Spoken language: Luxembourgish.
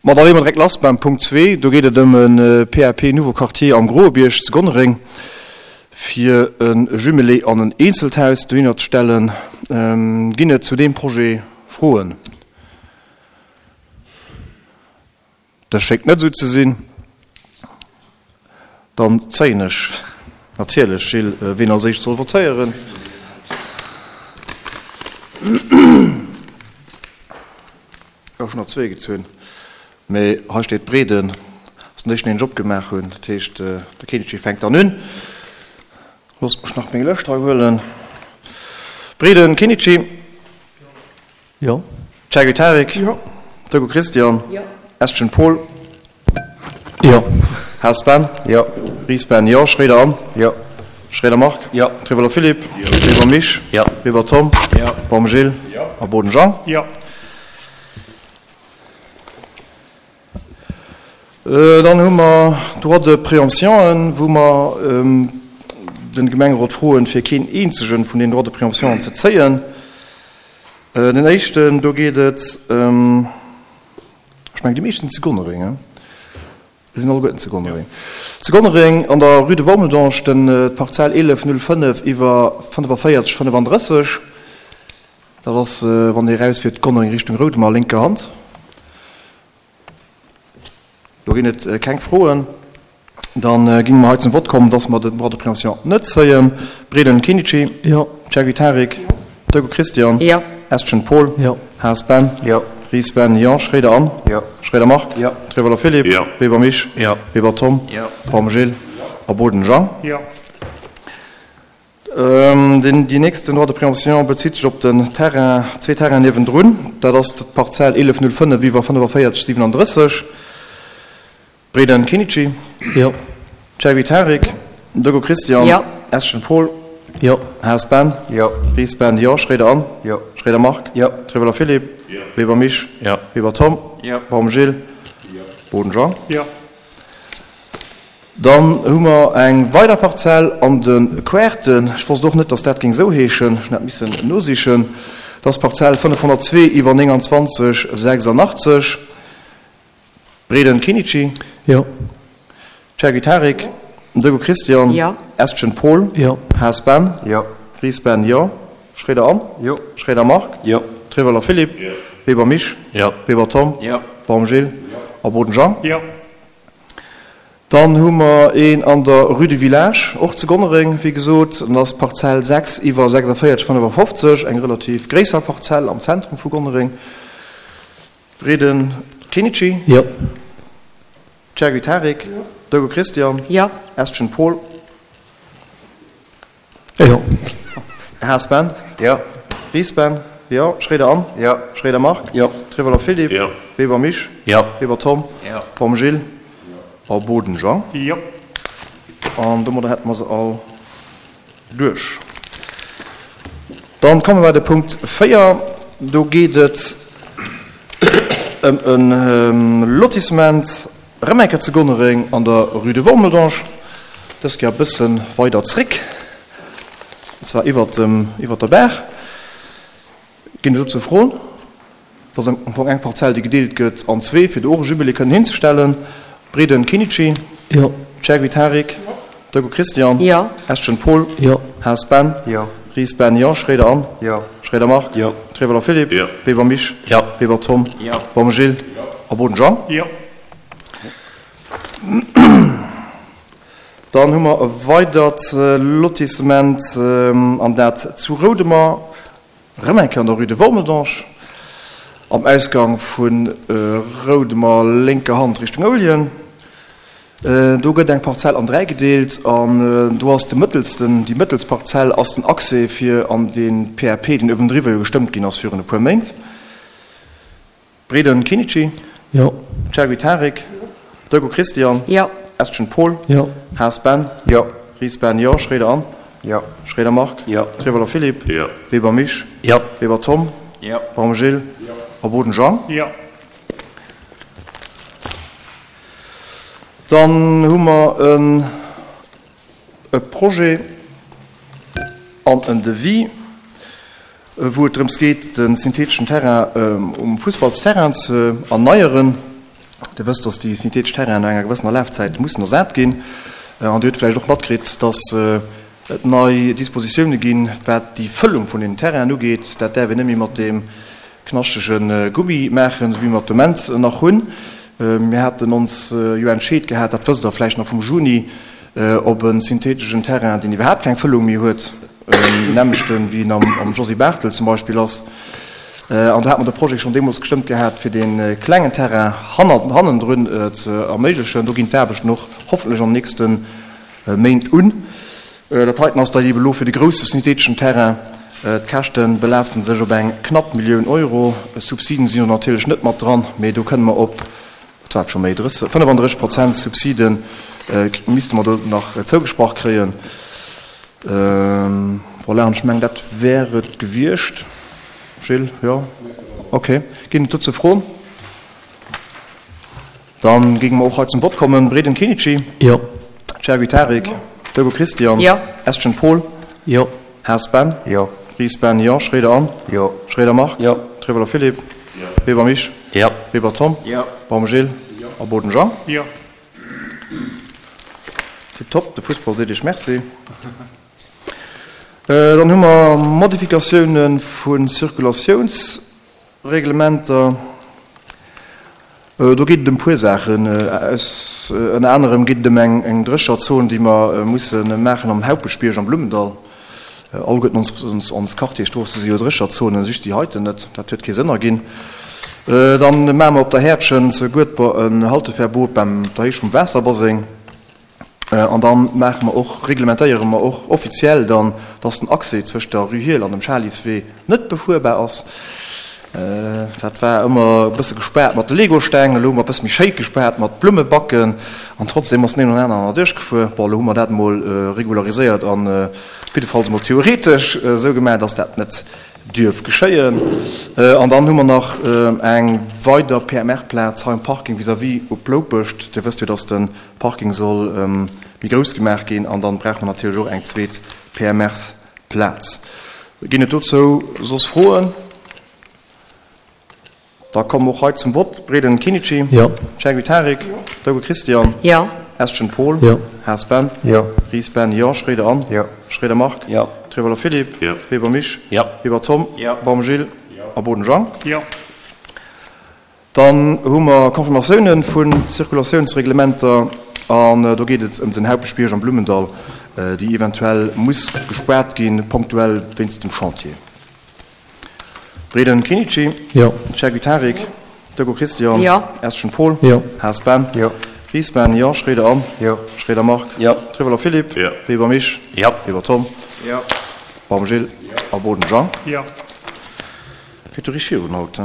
Ma da leeë mer direkt lass beim Punkt zwee. Do geet et ëm e PAP Nouveau Quartier am Groebierg zu Gonnereng, fir e Jumelé an en eenzelt Haus dohinner ze stellen. Ginn et zu deem Projet Froen? Dat schéngt net esou ze sinn. Dann zéien ech natierlech, Gilles, wien als éischt soll votéieren. Ech hunn der zwee gezunn, mee hei steet Breden, ass den éischten, deen ech opgemaach hunn. Dat heescht, de Kinnetje fänkt dann un. Loosst mech nach meng Lëscht hei huelen. Breden, Kinnetje. Jo. Chagy Tarik. Jo. Doggo Christian. Jo. Estgen Paul. Jo. Haas Ben. Jo. Ries Ben, jo. Schroeder Anne. Jo. Schroeder Marc. Jo. Trivolo Philippe. Jo. Weber Misch. Jo. Weber Tom. Jo. Baum Gilles. Jo. A Boden Jean. Jo. Dann hu mer Droits de préemptionen, wou mer de Gemengerot froen, fir keen eenzege vun den Droits de préemptionen ze zéien. Den éischten, do geet et, ech mengen déi meescht sinn zu Gonnereng, hein? Déi sinn alleguerten zu Gonnereng. Zu Gonnereng an der Rue de Wormeldange, den, d'Parzell 1105 iwwer 45 35. Dat ass, wann Dir erausfiert Gonnereng Richtung Roudemer, lénker Hand. Do ginn et keng Froen. Da géinge mer hei zum Vott kommen, dass mer den Droit de préemption net zéien. Breden Kinnici. Jo. Cherky Tarik. Jo. Doggo Christian. Jo. Estgen Paul. Jo. Haas Ben. Jo. Ries Ben, jo. Schroeder Anne. Jo. Schroeder Marc. Jo. Trevolo Philippe. Jo. Weber Misch. Jo. Weber Tom. Jo. Baum Gilles. Jo. A Boden Jean. Jo. Deen déi nächsten Droit de préemption bezitt sech op den Terrain, zwee Terrainen niewendrun. Dat ass d'Parzell 1105 iwwer 45 37, Breden Kinnici. Jo. Cherry Tarik. Doggo Christian. Jo. Eschen Paul. Jo. Haas Ben. Jo. Ries Ben, jo. Schroeder Anne. Jo. Schroeder Marc. Jo. Trevolo Philippe. Jo. Weber Misch. Jo. Weber Tom. Jo. Baum Gilles. Jo. Boden Jean. Jo. Dann hu mer eng weider Parzell an de Querten. Ech wosst och net, dass dat géing esou heeschen. Ech hunn dat missen nosichen. Dat ass d'Parzell 502 iwwer 29 86. Breden Kinnici. Jo. Chergy Tarik. Jo. Doggo Christian. Jo. Estgen Paul. Jo. Haas Ben. Jo. Ries Ben, jo. Schroeder Anne. Jo. Schroeder Marc. Jo. Trevoller Philippe. Jo. Weber Misch. Jo. Weber Tom. Jo. Baum Gilles. Jo. A Boden Jean. Jo. Dann hu mer een an der Rue du Village, och zu Gonnereng, wéi gesot. Dat ass d'Parzell 6 iwwer 46 55, eng relativ gréisser Parzell am Zentrum vu Gonnereng. Breden Kinnici. Jo. Chergui Tarik. Jo. Doggo Christian. Jo. Estgen Paul. Jo. Haas Ben. Jo. Ries Ben. Jo. Schroeder Anne. Jo. Schroeder Marc. Jo. Trevoller Philippe. Jo. Weber Misch. Jo. Weber Tom. Jo. Baum Gilles. Jo. A Boden Jean. Jo. An domadder hätte mer se all duerch. Dann komme mer bei de Punkt 4. Do geet et ëm e Lotissement erëm eng Kéier zu Gonnereng an der Rue de Wormeldange, dës Kéier e bësse weider zréck, an zwar iwwert dem, iwwert der Baach. Ginn et dozou Froen? Dat ass am Fong eng Parzell, déi gedeelt gëtt an zwee, fir do och e Jumelé kënnen hinzestellen. Breden Kinnici. Jo. Chergui Tarik. Jo. Doggo Christian. Jo. Estgen Paul. Jo. Haas Ben. Jo. Ries Ben, jo. Schroeder Anne. Jo. Schroeder Marc. Jo. Trevoller Philippe. Jo. Weber Misch. Jo. Weber Tom. Jo. Baum Gilles. Jo. A Boden Jean. Jo. Dann hu mer e weidert Lotissement, an dat zu Roudemer. Rëm eng Kéier an der Rue de Wormeldange, am Ausgang vu Roudemer lénker Hand Richtung Ouljen. Do gëtt eng Parzell an 3 gedeelt an do ass de mëttelsten, déi mëttelst Parzell ass den Accès fir an dee PAP, deen uewendriwwer jo gestëmmt ginn ass virun e puer Méint. Breden Kinnici. Jo. Chergui Tarik. Jo. Doggo Christian. Jo. Estgen Paul. Jo. Haas Ben. Jo. Ries Ben, jo. Schroeder Anne. Jo. Schroeder Marc. Jo. Trevoller Philippe. Jo. Weber Misch. Jo. Weber Tom. Jo. Baum Gilles. Jo. A Boden Jean. Jo. Dann hu mer en e Projet an en Devis, wou et drëms geet, de syntheteschen Terrain um Fussballsterrain ze erneieren. Dir wësst, dass déi synthetesch Terrainen no enger gewëssener Lafzäit mussen ersat ginn. An Dir hutt vläicht och matkritt, dass et nei Dispositioune ginn, wat déi Fëllung vun den Terrainen ugeet. Dat däerf een net méi mat deem knaschtege Gummi maachen, esou wéi mer et de Moment nach hunn. Mir haten ons jo entscheet gehat, dat wësst Der vläicht nach vum Juni, op e syntheteschen Terrain, deen iwwerhaapt keng Fëllung méi huet, nämmlechten wéi en am Josy Barthel zum Beispill ass. An do hat mer de Projet schonn deemools gestëmmt gehat, fir dee klengen Terrain hannendrun ze erméiglechen. Do ginn d'Aarbechten och hoffentlech an den nächste Méint un. Dat heiten ass da eebe elo fir de grousse syntheteschen Terrain. D'Käschte belafen sech op eng knapp Millioun Euro. Subsiden sinn do natierlech net mat dran, mee do kënne mer op, wat war et scho méi, 35 Prozent Subside misste mer do nach zougesprach kréien. Voilà, an ech mengen, dat wär et gewiescht. Gilles, jo? Okay. Ginn et dozou Froen? Dann géinge mer och hei zum Vott kommen. Breden Kenichi. Jo. Chergui Tarik. Jo. Dogo Christian. Jo. Estgen Paul. Jo. Haas Ben. Jo. Ries Ben, jo. Schroeder Anne. Jo. Schroeder Marc. Jo. Trevoller Philippe. Jo. Weber Mich. Jo. Weber Tom. Jo. Baum Gilles. Jo. A Boden Jean. Jo. Tiptop, de Fussball seet Iech Merci. Dann hu mer Modifikatioune vu Circulatiouns. Reglementer, do geet et ëm puer Saachen. Ënner anerem geet et ëm eng Drécherzon, déi mer musse maachen am Haupeschbierg am Blummendall. Alleguerten ons Quartierstroosse si jo Drécherzonen, just déi heiten net. Dat huet kee Sënn erginn. Dann maache mer op der Häerdchen zu Guedber en Halteverbot beim der Héicht vum Waasserbaseng. An da maache mer och, reglementéiere mer och offiziell dann, dass den Accès zwëscht der Rue Hiehl an dem Schaliswee net befuerbar ass. Dat war ëmmer e bësse gespaart mat de Legosteng, elo hu mer e bësse méi schéi gespaart mat Blummebacken an trotzdem ass den een oder aneren erduerchgefuer. Bon, elo hu mer dat emol regulariséiert an op jiddefalls emol theoretesch esou gemaach, dass dat net dierf geschéien. An dann hu mer nach eng weider PMR-Plaz hei um Parking vis-à-vis op Loupescht. Dir wësst jo, dass de Parking soll méi grouss gemaach ginn an dann brauche mer natierlech och eng zweet PMRs-Plaz. Ginn et dozou soss Froen? Da komme mer och hei zum Vott. Breden Kinichi. Jo. Chergui Tarik. Jo. Dogo Christian. Jo. Estgen Paul. Jo. Haas Ben. Jo. Ries Ben, jo. Schroeder Anne. Jo. Schroeder Marc. Jo. Trevoller Philippe. Jo. Weber Mich. Jo. Weber Tom. Jo. Baum Gilles. Jo. A Boden Jean. Jo. Dann hu mer Confirmatiounen vu Zirkulatiounsreglementer an do geet et ëm den Haupeschbierg am Blummendall, déi eventuell muss gespaart ginn, ponktuell wéinst dem Chantier. Breden Kinichi. Jo. Chergui Tarik. Jo. Dogo Christian. Jo. Estgen Paul. Jo. Haas Ben. Jo. Ries Ben, jo. Schroeder Anne. Jo. Schroeder Marc. Jo. Trevoller Philippe. Jo. Weber Mich. Jo. Weber Tom. Jo. Baum Gilles. Jo. A Boden Jean. Jo. Geet jo richteg virun haut, he?